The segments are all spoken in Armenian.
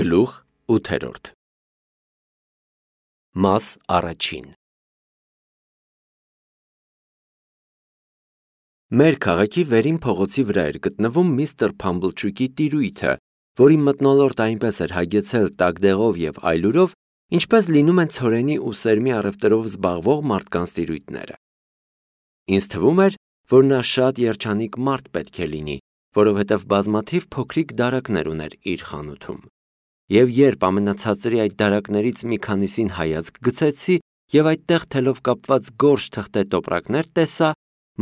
Գլուխ 8 Մաս առաջին Մեր քաղաքի վերին փողոցի վրա էր գտնվում միստր Փամբլչուկի տիրույթը, որի մթնոլորտ այնպես էր հագեցել տակդեղով և այլուրով, ինչպես լինում են ցորենի ու սերմի առևտրով զբաղվող մարդկանց տիրույթները։ Ինձ թվում էր, որ նա շատ երջանիկ մարդ պետք է լինի, որովհետև բազմաթիվ փոքրիկ դարակներ ուներ իր խանութում։ Եվ երբ ամենացածրի այդ դարակներից մի քանիսին հայացք գցեցի և այդտեղ թելով կապված գորշ թղթե տոպրակներ տեսա,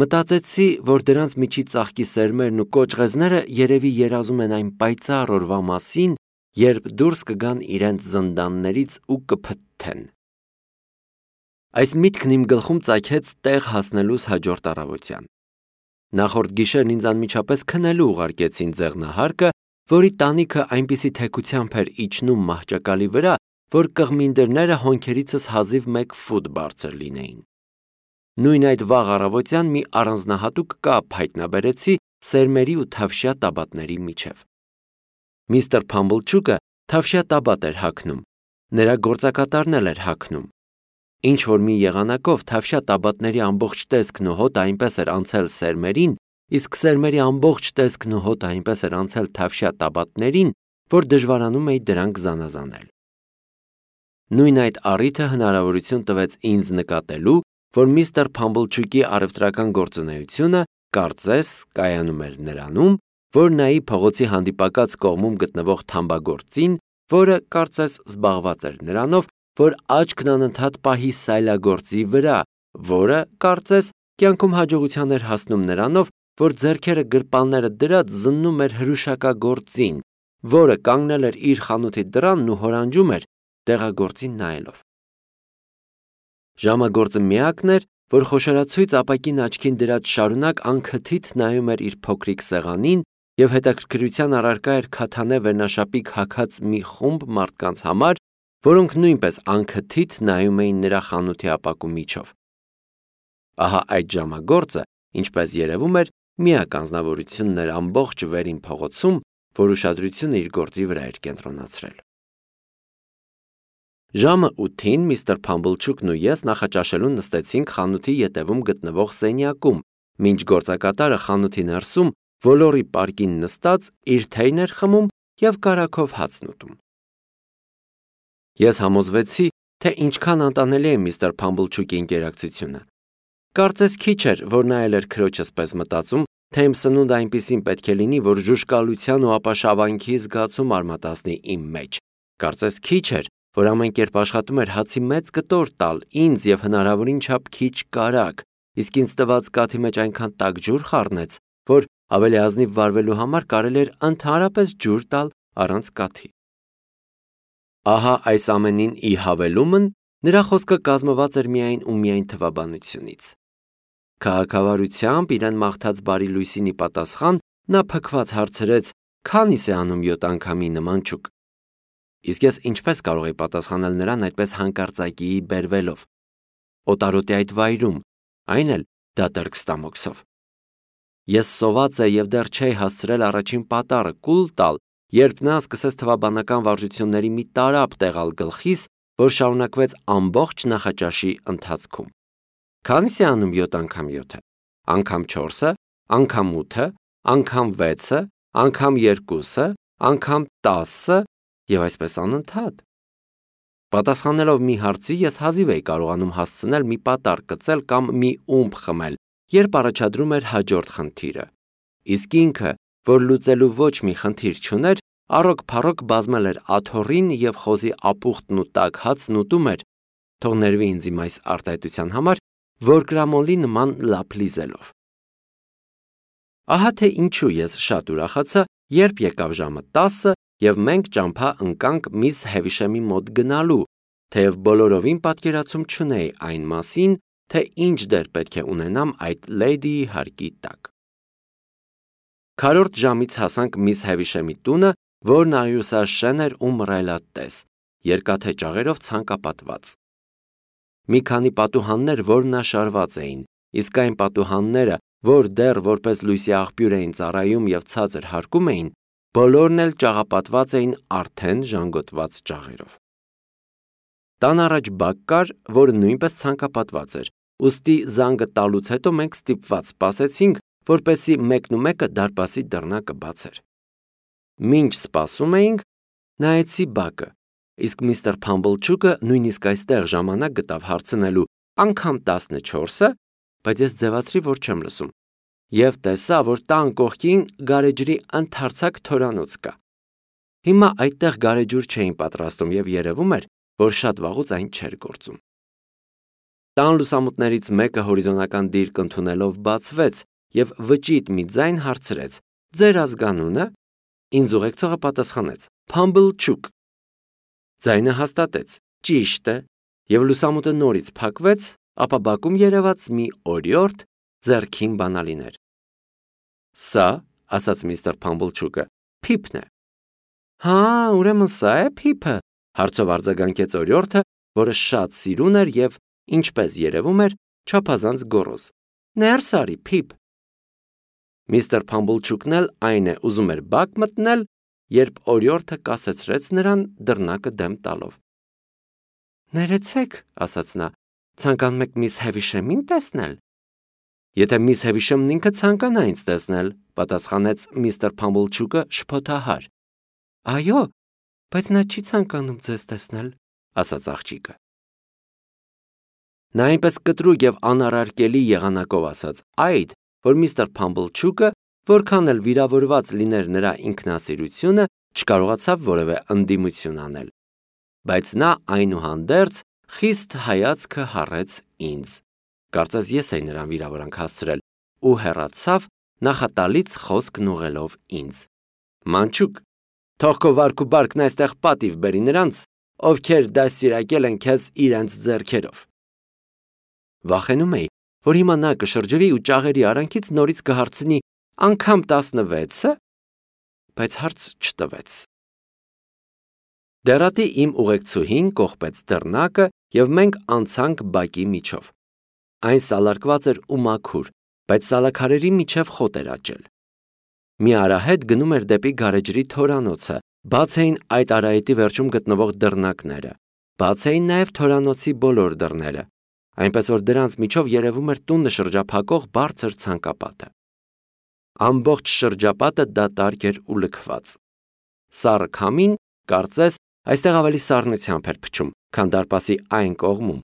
մտածեցի, որ դրանց միջի ծաղկի սերմերն ու կոճղեզները երևի երազում են այն պայծառ օրվա մասին, երբ դուրս կգան իրենց զնդաններից ու կփթթեն։ Այս միտքն իմ գլխում ծագեց տեղ հասնելուս հաջորդ առավոտյան։ Նախորդ գիշերն ինձ անմիջապես քնելու ուղարկեցին ձեղնահարկը, որի տանիքը այնպիսի թեքությամբ էր իջնում մահճակալի վրա, որ կղմինդրները հոնքերիցս հազիվ 1 ֆուտ բարձր լինեին։ Նույն այդ վաղ առավոտյան մի առանձնահատուկ կապ հայտնաբերեցի սերմերի ու թավշյա տաբատների միջև։ Միստր Փամբլչուկը թավշյա տաբատ էր հագնում, նրա գործակատարն էլ էր հագնում։ Ինչ-որ մի եղանակով թավշյա տաբատների ամբողջ տեսքն ու հոտը այնպես էր անցել սերմերին, իսկ սերմերի ամբողջ տեսքն ու հոտը այնպես էր անցել թավշյա տաբատներին, որ դժվարանում էի դրանք զանազանել։ Նույն այդ առիթը հնարավորություն տվեց ինձ նկատելու, որ միստր Փամբլչուկի առևտրական գործունեությունը կարծես կայանում էր նրանում, որ նայի փողոցի հանդիպակաց կողմում գտնվող թամբագործին, որը կարծես զբաղված էր նրանով, որ աչքն անընդհատ պահի սայլագործի վրա, որը կարծես կյանքում հաջողության էր հասնում նրանով, որ ձեռքերը գրպանները դրած զննում էր հրուշակագործին, որը կանգնել էր իր խանութի դռանն ու հորանջում էր տեղագործին նայելով։ Ժամագործը միակն էր, որ խոշորացույց ապակին աչքին դրած շարունակ անքթիթ նայում էր իր փոքրիկ սեղանին և հետաքրքրության առարկա էր քաթանե վերնաշապիկ հագած մի խումբ մարդկանց համար, որոնք նույնպես անքթիթ նայում էին նրա խանութի ապակու միջով։ Ահա այդ ժամագործը, ինչպես երևում էր, միակ անձնավորությունն էր ամբողջ վերին փողոցում, որ ուշադրությունը իր գործի վրա էր կենտրոնացրել։ Ժամը 8-ին միստր Փամբլչուկն ու ես նախաճաշելու նստեցինք խանութի ետևում գտնվող սենյակում, մինչ գործակատարը խանութի ներսում ոլորի պարկին նստած իր թեյն էր խմում և կարագով հացն ուտում։ Ես համոզվեցի, թե ինչքան անտանելի է միստր Փամբլչուկի ինկերակցությունը։ Կարծես քիչ էր, որ նա էլ էր քրոջս պես մտածում, թե իմ սնունդը այնպիսին պետք է լինի, որ ժուժկալության ու ապաշավանքի զգացում արմատացնի իմ մեջ։ Կարծես քիչ էր, որ ամեն կերպ աշխատում էր հացի մեծ կտոր տալ ինձ և հնարավորին չափ քիչ կարագ, իսկ ինձ տված կաթի մեջ այնքան տաք ջուր խառնեց, որ ավելի ազնիվ վարվելու համար կարելի էր ընդհանրապես ջուր տալ առանց կաթի։ Ահա այս ամենին ի հավելումն նրա խոսքը կազմված էր միայն ու միայն թվաբանությունից։ Քաղաքավարությամբ իրեն մաղթած բարի լույսին ի պատասխան նա փքված հարցրեց. «Քանի՞ս է անում 7 անգամի նման չուկ»։ Իսկ ես ինչպես կարող էի պատասխանել նրան այդպես հանկարծակիի բերվելով։ Օտարոտի այդ վայրում, այն էլ դատարկստամոքսով։ Ես սոված է և դեռ չէի հասցրել առաջին պատառը կուլ տալ, երբ նա սկսեց թվաբանական վարժությունների մի տարափ տեղալ գլխիս, որ շարունակվեց ամբողջ նախաճաշի ընթացքում։ Քանի՞ս է անում 7 անգամ 7-ը, անգամ 4-ը, անգամ 8-ը, անգամ 6-ը, անգամ 2-ը, անգամ 10-ը և այսպես անընդհատ։ Պատասխանելով մի հարցի, ես հազիվ էի կարողանում հասցնել մի պատառ կծել կամ մի ումպ խմել, երբ առաջադրում էր հաջորդ խնդիրը։ Իսկ ինքը, որ լուծելու ոչ մի խնդիր չուներ, առոք-փառոք բազմել էր աթոռին և խոզի ապուխտն ու տաք հացն ուտում էր, թող ներվի ինձ իմ այս արտահայտության համար, որկրամոլի նման լափլիզելով։ Ահա թե ինչու ես շատ ուրախացա, երբ եկավ ժամը 10-ը և մենք ճամփա ընկանք միս Հևիշեմի մոտ գնալու, թեև բոլորովին պատկերացում չունեի այն մասին, թե ինչ դեր պետք է ունենամ այդ լեյդիի հարկի տակ։ Քառորդ ժամից հասանք միս Հևիշեմի տունը, որն աղյուսաշեն էր ու մռայլատես, երկաթե ճաղերով ցանկապատված։ Մի քանի պատուհաններ որմնաշարված էին, իսկ այն պատուհանները, որ դեռ որպես լույսի աղբյուր էին ծառայում և ցածր հարկում էին, Բոլորն էլ ճաղապատված էին արդեն ժանգոտված ճաղերով։ Տան առաջ բակ կար, որը նույնպես ցանկապատված էր, ուստի զանգը տալուց հետո մենք ստիպված սպասեցինք, որպեսզի մեկնումեկը դարպասի դռնակը բացեր։ Մինչ սպասում էինք, նայեցի բակը, իսկ միստր Փամբլչուկը նույնիսկ այստեղ ժամանակ գտավ հարցնելու անգամ 14-ը, բայց ես ձևացրի, որ չեմ լսում, եւ տեսա, որ տան կողքին գարեջրի ընդարձակ թորանոց կա։ Հիմա այդտեղ գարեջուր չէին պատրաստում եւ երևում էր, որ շատ վաղուց այն չէր գործում։ Տան լուսամուտներից մեկը հորիզոնական դիրք ընդունելով բացվեց եւ վճիտ մի ձայն հարցրեց. «Ձեր ազգանունը»։ Ինձ ուղեկցողը պատասխանեց. «Փամբլչուկ»։ Ձայնը հաստատեց. «Ճիշտ է», եւ լուսամուտը նորից փակվեց, ապա բակում երևաց մի օրիորդ ձեռքին բանալիներ։ «Սա», ասաց միստր Փամբլչուկը, «Փիփն է»։ «Հա, ուրեմն սա է Փիփը», հարցով արձագանքեց օրիորդը, որը շատ սիրուն էր եւ, ինչպես երևում էր, չափազանց գոռոզ։ «Ներս արի, Փիփ»։ Միստր Փամբլչուկն էլ այն է ուզում էր բակ մտնել, երբ օրիորդը կասեցրեց նրան դռնակը դեմ տալով։ «Ներեցեք», ասաց նա, «ցանկանում եք միս Հևիշեմին տեսնել»։ «Եթե միս Հևիշեմն ինքը ցանկանա ինձ տեսնել», պատասխանեց միստր Փամբլչուկը շփոթահար։ «Այո, բայց նա չի ցանկանում ձեզ տեսնել», ասաց աղջիկը։ Նա այնպես կտրուկ եւ անառարկելի եղանակով ասաց այդ, որ միստր Փամբլչուկը, որքան էլ վիրավորված լիներ նրա ինքնասիրությունը, չկարողացավ որևէ ընդդիմություն անել։ Բայց նա այնուհանդերձ խիստ հայացքը հառեց ինձ։ Կարծես ես էի նրան վիրավորանք հասցրել ու հեռացավ նախատալից խոսքն ուղղելով ինձ։ «Մանչուկ, թող քո վարք ու բարքն այստեղ պատիվ բերի նրանց, ովքեր դաստիարակել են քեզ իրենց ձեռքերով»։ Վախենում էի, որ հիմա նա կշրջվի ու ճաղերի արանքից նորից կհարցնի անգամ 16-ը, բայց հարց չտվեց։ Դեռատի իմ ուղեկցուհին կողպեց դռնակը եւ մենք անցանք բակի միջով։ Այն սալարկված էր ու մաքուր, բայց սալաքարերի միջև խոտ էր աճել։ Մի արահետ գնում էր դեպի գարեջրի թորանոցը, բաց էին այդ արահետի վերջում գտնվող դռնակները, բաց էին նաեւ թորանոցի բոլոր դռները, այնպես որ դրանց միջով երևում էր տունը շրջափակող բարձր ցանկապատը։ Ամբողջ շրջապատը դատարկ էր ու լքված։ Սառը քամին, կարծես, այստեղ ավելի սառնությամբ էր փչում, քան դարպասի այն կողմում,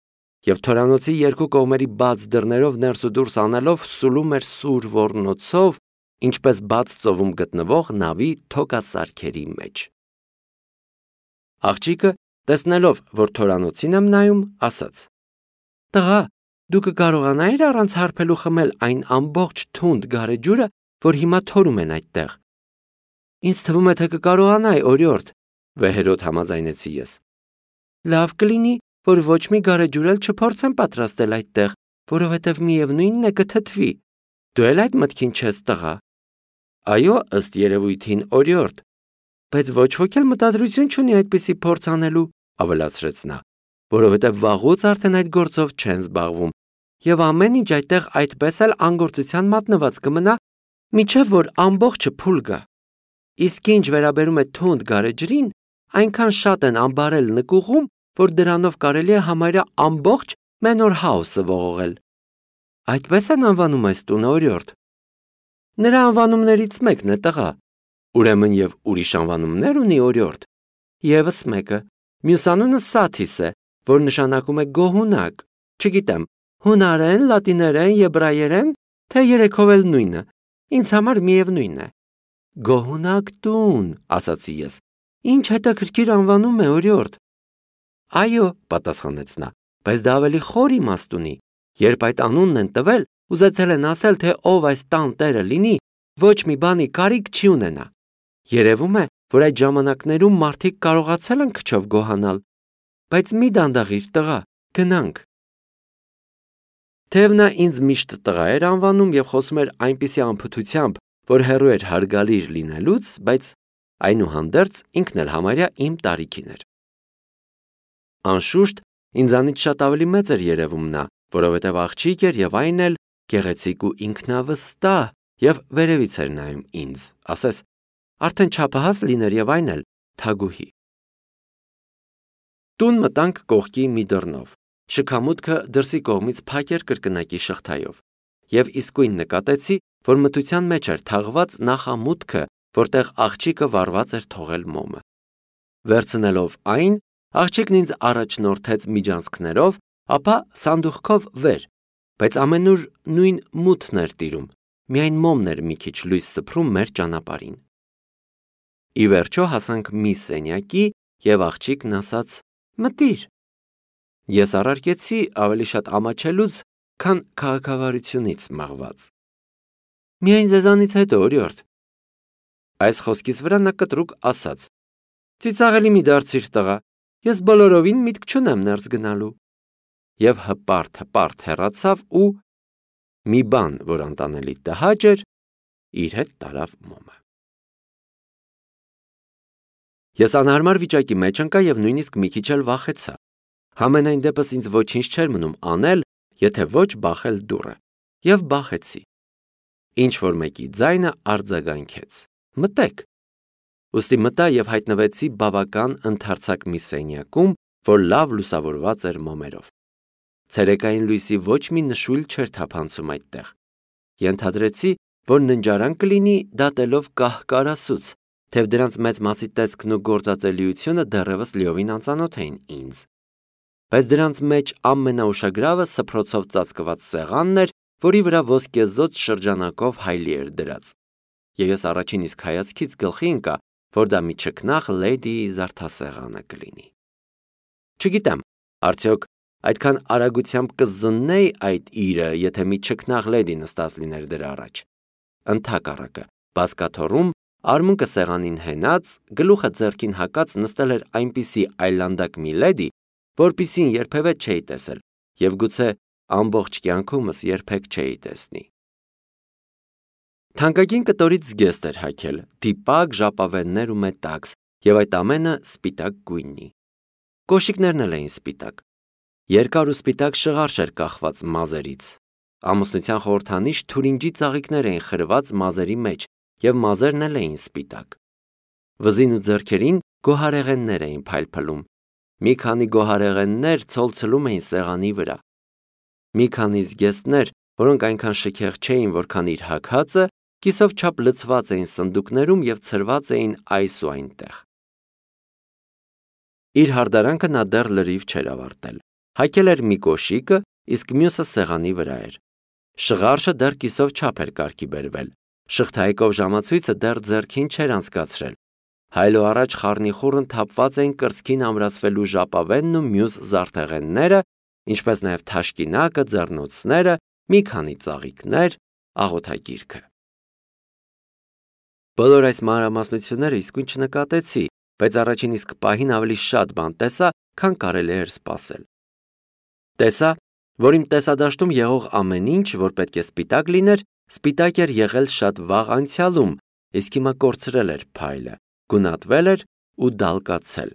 եւ թորանոցի երկու կողմերի բաց դռներով ներս ու դուրս անելով սուլում էր սուր ոռնոցով, ինչպես բաց ծովում գտնվող նավի թոկասարքերի մեջ։ Աղջիկը, տեսնելով, որ թորանոցին եմ նայում, ասաց. «Տղա, դու կկարողանայիր առանց հարբելու խմել այն ամբողջ թունդ գարեջուրը, որ հիմա թորում են այդտեղ»։ «Ինձ թվում է, թե կկարողանայի, օրիորդ», վեհերոտ համաձայնեցի ես։ «Լավ կլինի, որ ոչ մի գարեջուր էլ չփորձեմ պատրաստել այդտեղ, որովհետև միևնույնն է կթթվի։ Դու էլ այդ մտքին չես, տղա»։ «Այո, ըստ երևույթին, օրիորդ, բայց ոչ ոք էլ մտադրություն չունի այդպիսի փորձ անելու», ավելացրեց նա, «որովհետև վաղուց արդեն այդ գործով չեն զբաղվում, եւ ամեն ինչ այդտեղ այդպես էլ անգործության մատնված կմնա, մինչև որ ամբողջը փուլ գա։ Իսկ ինչ վերաբերում է թունդ գարեջրին, այնքան շատ են ամբարել նկուղում, որ դրանով կարելի է համարյա ամբողջ Մենոր Հաուսը ողողել։ Այդպես են անվանում այս տունը, օրիորդ։ Նրա անվանումներից մեկն է, տղա։ Ուրեմն եւ ուրիշ անվանումներ ունի, օրիորդ։ Եվս մեկը, մյուս անունը Սաթիս է, որ նշանակում է գոհունակ։ Չգիտեմ, հունարեն, լատիներեն, եբրայերեն, թե երեքով էլ նույնը։ Ինձ համար միևնույն է։ Գոհունակ տուն, ասացի ես։ Ինչ հետաքրքիր անվանում է, օրիորդ։ Այո, պատասխանեց նա, բայց դա ավելի խոր իմաստ ունի։ Երբ այդ անունն են տվել, ուզեցել են ասել, թե ով այս տան տերը լինի, ոչ մի բանի կարիք չի ունենա։ Երևում է, որ այդ ժամանակներում մարդիկ կարողացել են քչով գոհանալ։ Բայց մի դանդաղիր, տղա, գնանք։ Թեև նա ինձ միշտ տղա էր անվանում եւ խոսում էր այնպիսի անփութությամբ, որ հեռու էր հարգալիր լինելուց, բայց այնուհանդերձ ինքն էլ համարյա իմ տարիքին էր։ Անշուշտ, ինձանից շատ ավելի մեծ էր երևում նա, որովհետև աղջիկ էր եւ այն էլ գեղեցիկ ու ինքնավստահ եւ վերևից էր նայում ինձ, ասես, արդեն չափահաս լիներ եւ այն էլ թագուհի։ Տուն մտանք կողքի մի դռնով, շքամուտքը դրսի կողմից փակ էր կրկնակի շղթայով, եւ իսկույն նկատեցի, որ մթության մեջ էր թաղված նախամուտքը, որտեղ աղջիկը վառված էր թողել մոմը։ Վերցնելով այն, աղջիկն ինձ առաջնորդեց միջանցքներով, ապա սանդուղքով վեր, բայց ամենուր նույն մութն էր տիրում, միայն մոմն էր մի քիչ լույս սփռում մեր ճանապարհին։ Ի վերջո հասանք մի սենյակի եւ աղջիկն ասաց. «Մտիր»։ Ես առարկեցի ավելի շատ ամաչելուց, քան քաղաքավարությունից մղված։ «Միայն ձեզանից հետո, օրիորդ»։ Այս խոսքից վրա նա կտրուկ ասաց. «Ծիծաղելի մի դարձիր տղա, ես բոլորովին միտք չունեմ ներս գնալու»։ Եվ հպարտ հեռացավ ու մի բան, որ անտանելի տհաճ էր, իր հետ տարավ մոմը։ Ես անհարմար վիճակի մեջ ընկա եւ նույնիսկ մի քիչ էլ վախեցա։ Համենայն դեպս ինձ ոչինչ չէր մնում անել, եթե ոչ բախել դուռը։ Եվ բախեցի։ Ինչ որ մեկի ձայնը արձագանքեց. «Մտեք»։ Ուստի մտա եւ հայտնվեցի բավական ընդարձակ մի սենյակում, որ լավ լուսավորված էր մոմերով։ Ցերեկային լույսի ոչ մի նշույլ չէր թափանցում այդտեղ։ Ենթադրեցի, որ ննջարան կլինի դատելով կահ-կարասուց, թեև դրանց մեծ մասի տեսքն ու գործածելիությունը դեռևս լիովին անծանոթ էին ինձ։ Բայց դրանց մեջ ամենաուշագրավը սփռոցով ծածկված սեղանն էր, որի վրա ոսկեզօծ շրջանակով հայլի էր դրած։ Եվ ես առաջին իսկ հայացքից գլխի ընկա, որ դա մի չքնաղ լեդիի զարդասեղանը կլինի։ Չգիտեմ, արդյոք այդքան արագությամբ կզննեի այդ իրը, եթե մի չքնաղ լեդի նստած լիներ դրա առաջ։ Ընդհակառակը, բազկաթոռում, արմունկը սեղանին հենած, գլուխը ձեռքին հակած նստել էր այնպիսի այլանդակ մի լեդի, որպիսին երբևէ չէի տեսել եւ գուցե ամբողջ կյանքումս երբեք չէի տեսնի։ Թանկագին կտորից զգեստ էր հագել, դիպակ, ժապավեններ ու մետաքս, եւ այդ ամենը սպիտակ գույնի։ Կոշիկներն էլ էին սպիտակ։ Երկար ու սպիտակ շղարշ էր կախված մազերից։ Ամուսնության խորհրդանիշ թուրինջի ծաղիկներ էին խրված մազերի մեջ, եւ մազերն էլ էին սպիտակ։ Վզին ու ձեռքերին գոհարեղեններ էին փայլփլում։ Մի քանի գոհարեղեններ ցոլցլում էին սեղանի վրա։ Մի քանի զգեստներ, որոնք այնքան շքեղ չէին, որքան իր հագածը, կիսով չափ լցված էին սնդուկներում եւ ցրված էին այս ու այնտեղ։ Իր հարդարանքը նա դեռ լրիվ չէր ավարտել։ Հագել էր մի կոշիկը, իսկ մյուսը սեղանի վրա էր։ Շղարշը դեռ կիսով չափ էր կարգի բերվել։ Շղթայիկով ժամացույցը դեռ ձեռքին չէր անցկացրել։ Հայլո առաջ խառնիխուռն թափված էին կրծքին ամրացվելու ժապավենն ու մյուս զարդեղենները, ինչպես նաև թաշկինակը, ձեռնոցները, մի քանի ծաղիկներ, աղոթագիրքը։ Բոլոր այս մանրամասնությունները իսկույն չնկատեցի, բայց առաջին իսկ պահին ավելի շատ բան տեսա, քան կարելի էր սպասել։ Տեսա, որ իմ տեսադաշտում եղող ամեն ինչ, որ պետք է սպիտակ լիներ, սպիտակ էր եղել շատ վաղ անցյալում, իսկ հիմա կորցրել էր փայլը, գունատվել էր ու դալկացել։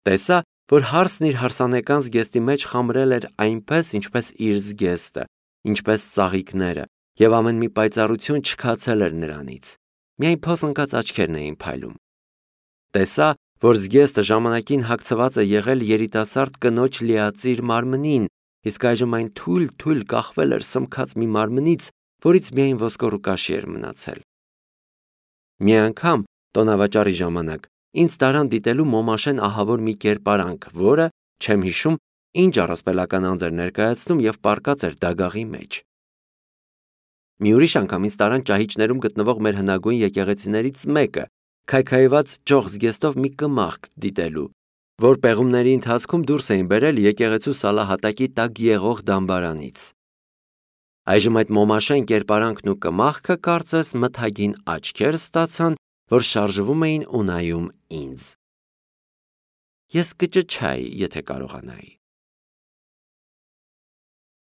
Տեսա, որ հարսն իր հարսանեկան զգեստի մեջ խամրել էր այնպես, ինչպես իր զգեստը, ինչպես ծաղիկները, եւ ամեն մի պայծառություն չքացել էր նրանից։ Միայն փոսընկած աչքերն էին փայլում։ Տեսա, որ զգեստը ժամանակին հագցված է եղել երիտասարդ կնոջ լիածիր մարմնին, իսկ այժմ այն թույլ կախվել էր սմքած մի մարմնից, որից միայն ոսկոր ու կաշի էր մնացել։ Մի անգամ, տոնավաճառի ժամանակ, ինձ տարան դիտելու Մոմաշեն ահավոր մի կերպարանք, որը, չեմ հիշում, ինչ առասպելական անձ էր ներկայացնում եւ պառկած էր դագաղի մեջ։ Մի ուրիշ անգամ ինձ տարան ճահիճներում գտնվող մեր հնագույն եկեղեցիներից մեկը, քայքայված ճոխ զգեստով մի կմախք դիտելու, որ պեղումների ընթացքում դուրս էին բերել եկեղեցու սալահատակի տակ եղող դամբարանից։ Այժմ այդ Մոմաշեն կերպարանքն ու կմախքը կարծես մթագին աչքեր ստացան, որ շարժվում էին ու նայում ինձ։ Ես կճչայի, եթե կարողանայի։